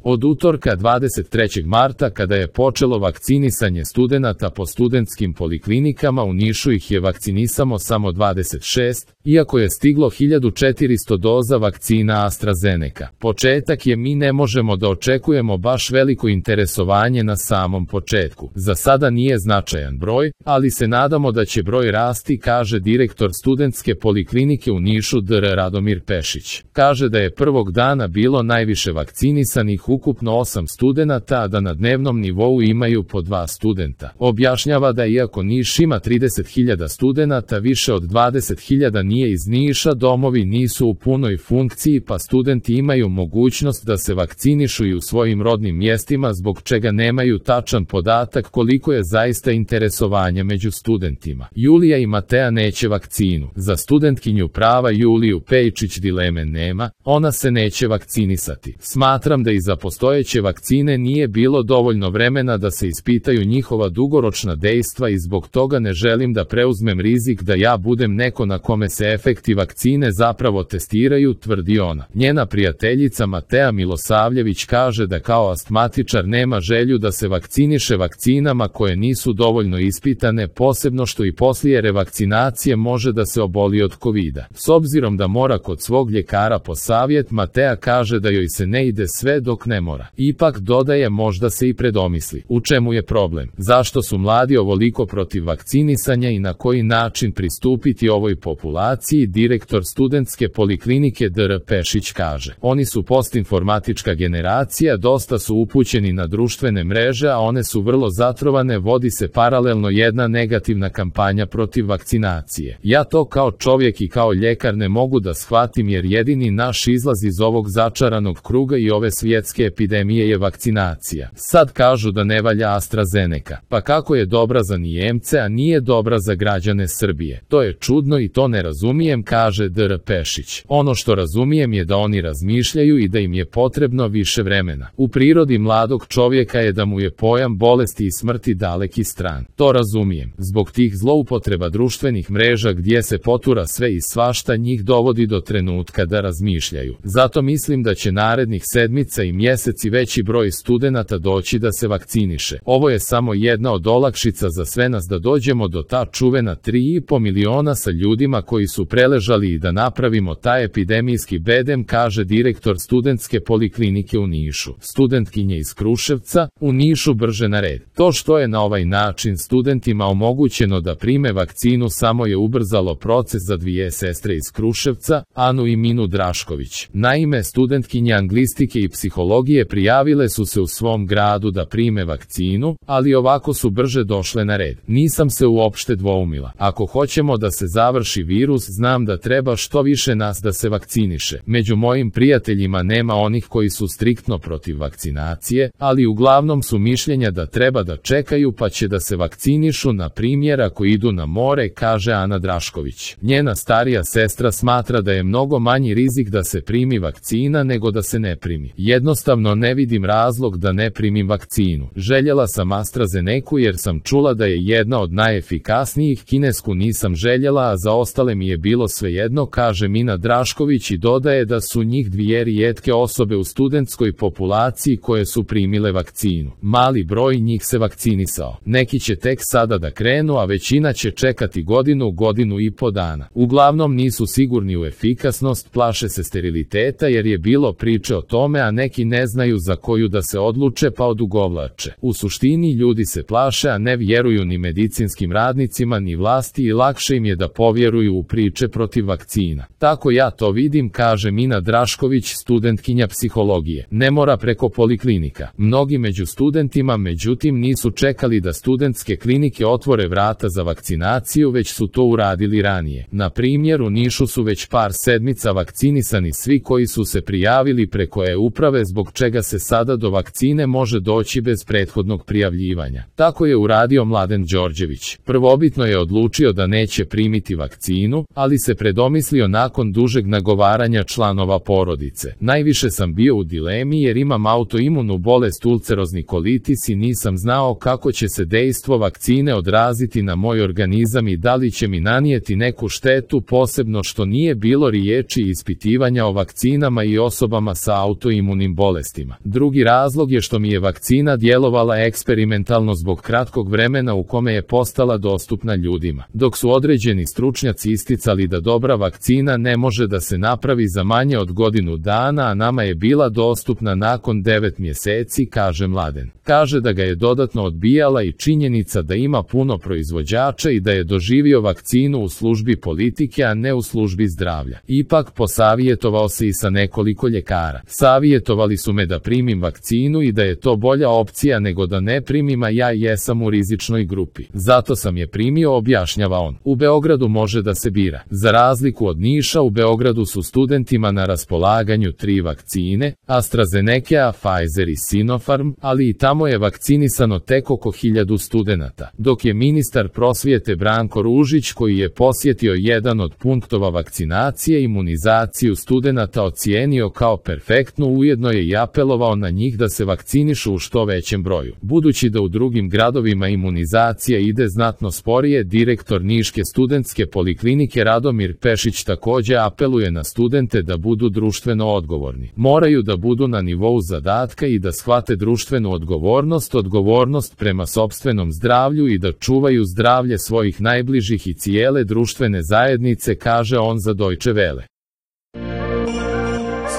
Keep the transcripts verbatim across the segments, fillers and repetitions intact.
Od utorka dvadeset trećeg marta kada je počelo vakcinisanje studenata po studentskim poliklinikama u Nišu ih je vakcinisamo samo dvadeset šest, iako je stiglo hiljadu četiristo doza vakcina AstraZeneca. Početak je mi ne možemo da očekujemo baš veliko interesovanje na samom početku. Za sada nije značajan broj, ali se nadamo da će broj rasti, kaže direktor studentske poliklinike u Nišu dr Radomir Pešić. Kaže da je prvog dana bilo najviše vakcinisanih ukupno osam studenata, a da na dnevnom nivou imaju po dva studenta. Objašnjava da iako Niš ima trideset hiljada studenata, više od dvadeset hiljada nije iz Niša, domovi nisu u punoj funkciji pa studenti imaju mogućnost da se vakcinišu i u svojim rodnim mjestima, zbog čega nemaju tačan podatak koliko je zaista interesovanja među studentima. Julija i Matea neće vakcinu. Za studentkinju prava Juliju Pejčić dileme nema, ona se neće vakcinisati. Smatram da i za postojeće vakcine nije bilo dovoljno vremena da se ispitaju njihova dugoročna dejstva i zbog toga ne želim da preuzmem rizik da ja budem neko na kome se efekti vakcine zapravo testiraju, tvrdi ona. Njena prijateljica Matea Milosavljević kaže da kao astmatičar nema želju da se vakciniše vakcinama koje nisu dovoljno ispitane, posebno što i poslije revakcinacije može da se oboli od kovida. S obzirom da mora kod svog ljekara po savjet, Matea kaže da joj se ne ide sve dok ne mora. Ipak dodaje, možda se i predomisli. U čemu je problem? Zašto su mladi ovoliko protiv vakcinisanja i na koji način pristupiti ovoj populaciji? Direktor studentske poliklinike dr Pešić kaže: oni su postinformatička generacija, dosta su upućeni na društvene mreže, a one su vrlo zatrovane, vodi se paralelno jedna negativna kampanja protiv vakcinacije. Ja to kao čovjek i kao ljekar ne mogu da shvatim, jer jedini naš izlaz iz ovog začaranog kruga i ove svjetske epidemije je vakcinacija. Sad kažu da ne valja AstraZeneca. Pa kako je dobra za Nijemce, a nije dobra za građane Srbije? To je čudno i to ne razumijem, kaže dr Pešić. Ono što razumijem je da oni razmišljaju i da im je potrebno više vremena. U prirodi mladog čovjeka je da mu je pojam bolesti i smrti daleki stran. To razumijem. Zbog tih zloupotreba društvenih mreža gdje se potura sve i svašta, njih dovodi do trenutka da razmišljaju. Zato mislim da će narednih sedmica i mjeseci veći broj studenata doći da se vakciniše. Ovo je samo jedna od olakšica za sve nas da dođemo do ta čuvena tri i po miliona sa ljudima koji su preležali i da napravimo taj epidemijski bedem, kaže direktor studentske poliklinike u Nišu. Studentkinje iz Kruševca, u Nišu brže na red. To što je na ovaj način studentima omogućeno da prime vakcinu samo je ubrzalo proces za dvije sestre iz Kruševca, Anu i Minu Drašković. Naime, studentkinje anglistike i psihologije prijavile su se u svom gradu da prime vakcinu, ali ovako su brže došle na red. Nisam se uopšte dvoumila. Ako hoćemo da se završi virus, znam da treba što više nas da se vakciniše. Među mojim prijateljima nema onih koji su striktno protiv vakcinacije, ali uglavnom su mišljenja da treba da čekaju pa će da se vakcinišu, na primjer ako idu na more, kaže Ana Drašković. Njena starija sestra smatra da je mnogo manji rizik da se primi vakcina nego da se ne primi. Jednostavno ne vidim razlog da ne primim vakcinu. Željela sam AstraZenecu jer sam čula da je jedna od najefikasnijih, kinesku nisam željela, a za ostale mi je bilo svejedno, kaže Mina Drašković i dodaje da su njih dvije rijetke osobe u studentskoj populaciji koje su primile vakcinu. Mali broj njih se vakcinisao. Neki će tek sada da krenu, a većina će čekati godinu, godinu i po dana. Uglavnom nisu sigurni u efikasnost, plaše se steriliteta jer je bilo priče o tome, a neki ne znaju za koju da se odluče pa odugovlače. U suštini ljudi se plaše, a ne vjeruju ni medicinskim radnicima ni vlasti i lakše im je da povjeruju u priče protiv vakcina. Tako ja to vidim, kaže Mina Drašković, studentkinja psihologije. Ne mora preko poliklinika. Mnogi među studentima međutim nisu čekali da studentske klinike otvore vrata za vakcinaciju, već su to uradili ranije. Na primjer, u Nišu su već par sedmica vakcinisani svi koji su se prijavili preko e-uprave, zbog čega se sada do vakcine može doći bez prethodnog prijavljivanja. Tako je uradio Mladen Đorđević. Prvobitno je odlučio da neće primiti vakcinu, ali se predomislio nakon dužeg nagovaranja članova porodice. Najviše sam bio u dilemi jer imam autoimunu bolest ulcerozni kolitis i nisam znao kako će se dejstvo vakcine odraziti na moj organizam i da li će mi nanijeti neku štetu, posebno što nije bilo riječi ispitivanja o vakcinama i osobama sa autoimunim bolestima. bolestima. Drugi razlog je što mi je vakcina djelovala eksperimentalno zbog kratkog vremena u kome je postala dostupna ljudima. Dok su određeni stručnjaci isticali da dobra vakcina ne može da se napravi za manje od godinu dana, a nama je bila dostupna nakon devet mjeseci, kaže Mladen. Kaže da ga je dodatno odbijala i činjenica da ima puno proizvođača i da je doživio vakcinu u službi politike, a ne u službi zdravlja. Ipak posavjetovao se i sa nekoliko ljekara. Savjetovali su me da primim vakcinu i da je to bolja opcija nego da ne primim, a ja jesam u rizičnoj grupi. Zato sam je primio, objašnjava on. U Beogradu može da se bira. Za razliku od Niša, u Beogradu su studentima na raspolaganju tri vakcine, AstraZeneca, Pfizer i Sinopharm, ali i tamo je vakcinisano tek oko hiljadu studenata. Dok je ministar prosvjete Branko Ružić, koji je posjetio jedan od punktova vakcinacije, imunizaciju studenata ocijenio kao perfektnu, ujedno je i apelovao na njih da se vakcinišu u što većem broju. Budući da u drugim gradovima imunizacija ide znatno sporije, direktor Niške studentske poliklinike Radomir Pešić također apeluje na studente da budu društveno odgovorni. Moraju da budu na nivou zadatka i da shvate društvenu odgovornost, odgovornost prema sopstvenom zdravlju i da čuvaju zdravlje svojih najbližih i cijele društvene zajednice, kaže on za Deutsche Welle.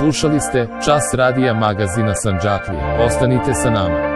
Slušali ste Čas radija magazina Sandžaklije. Ostanite sa nama.